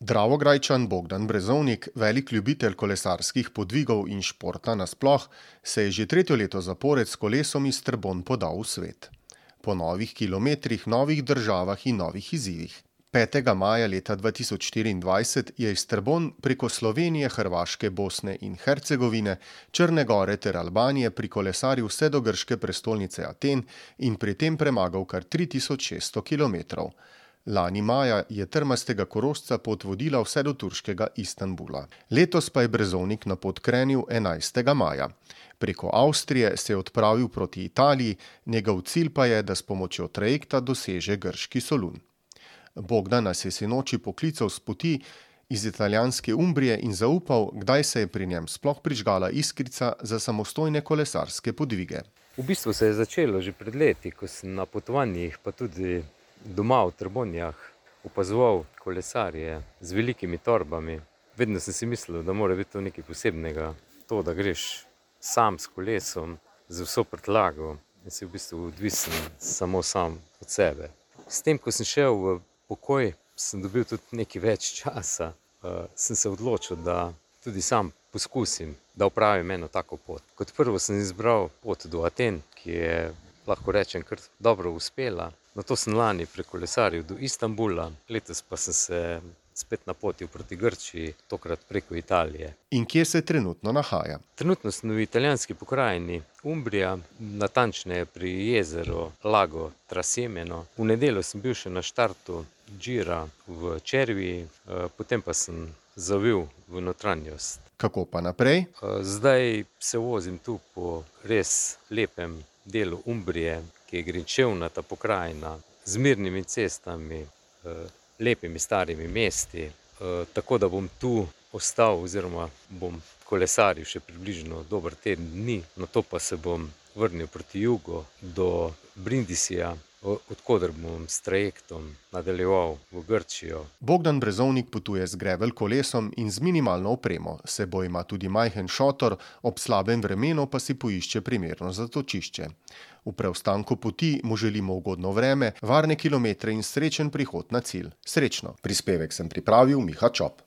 Dravograjčan Bogdan Brezovnik, velik ljubitelj kolesarskih podvigov in športa nasploh, se je že tretje leto zapored s kolesom iz Trbonj podal v svet. Po novih kilometrih, novih državah in novih izzivih. 5. maja leta 2024 je iz Trbonj preko Slovenije, Hrvaške, Bosne in Hercegovine, Črne gore ter Albanije prikolesaril vse do grške prestolnice Aten in pri tem premagal kar 3600 kilometrov. Lani maja je trmastega Korošca pot vodila vse do turškega Istanbula. Letos pa je Brezovnik na pot krenil 11. maja. Preko Avstrije se je odpravil proti Italiji, njegov cilj pa je, da s pomočjo trajekta doseže grški Solun. Bogdan nas je sinoči poklical s poti iz italijanske Umbrije in zaupal, kdaj se je pri njem sploh prižgala iskrica za samostojne kolesarske podvige. V bistvu se je začelo že pred leti, ko sem na potovanjih, pa tudi doma v Trbonjah opazoval kolesarje z velikimi torbami. Vedno sem si mislil, da mora biti to nekaj posebnega. To, da greš sam s kolesom, z vso prtljago in si v bistvu odvisen samo sam od sebe. S tem, ko sem šel v pokoj, sem dobil tudi nekaj več časa. Sem se odločil, da tudi sam poskusim, da opravim eno tako pot. Kot prvo sem izbral pot do Aten, ki je, lahko rečem, kar dobro uspela. Nato sem lani prekolesaril do Istanbula, letos pa sem se spet napotil proti Grčiji, tokrat preko Italije. In kje se trenutno nahaja? Trenutno sem v italijanski pokrajini Umbrija, natančneje pri jezeru Lago Trasimeno. V nedeljo sem bil še na štartu Gira v Cerviji, potem pa sem zavil v notranjost. Kako pa naprej? Zdaj se vozim tu po res lepem delu Umbrije, ki je grenčevnata pokrajina z mirnimi cestami, lepimi starimi mesti, tako da bom tu ostal oziroma bom kolesaril še približno dober teden dni, nato pa se bom vrnil proti jugu do Brindisija, odkoder bom s trajektom nadaljeval v Grčijo. Bogdan Brezovnik potuje z gravel kolesom in z minimalno opremo. S seboj ima tudi majhen šotor, ob slabem vremenu pa si poišče primerno zatočišče. V preostanku poti mu želimo ugodno vreme, varne kilometre in srečen prihod na cilj. Srečno! Prispevek sem pripravil Miha Čop.